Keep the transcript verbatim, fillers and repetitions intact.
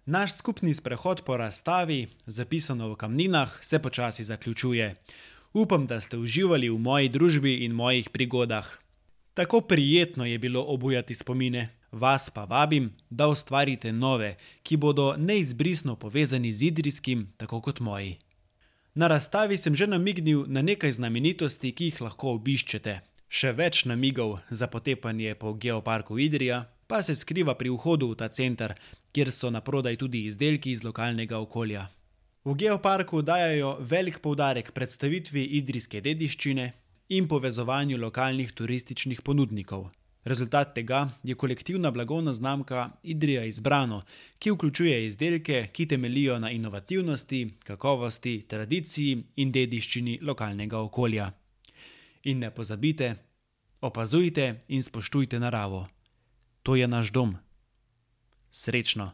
Naš skupni sprehod po razstavi, zapisano v kamninah, se počasi zaključuje. Upam, da ste uživali v moji družbi in mojih prigodah. Tako prijetno je bilo obujati spomine. Vas pa vabim, da ustvarite nove, ki bodo neizbrisno povezani z idrijskim, tako kot moji. Na razstavi sem že namignil na nekaj znamenitosti, ki jih lahko obiščete. Še več namigov za potepanje po Geoparku Idrija pa se skriva pri vhodu v ta center, kjer so naprodaj tudi izdelki iz lokalnega okolja. V Geoparku dajejo velik poudarek predstavitvi idrijske dediščine in povezovanju lokalnih turističnih ponudnikov. Rezultat tega je kolektivna blagovna znamka Idrija Izbrano, ki vključuje izdelke, ki temeljijo na inovativnosti, kakovosti, tradiciji in dediščini lokalnega okolja. In ne pozabite, opazujte in spoštujte naravo. To je naš dom. Srečno!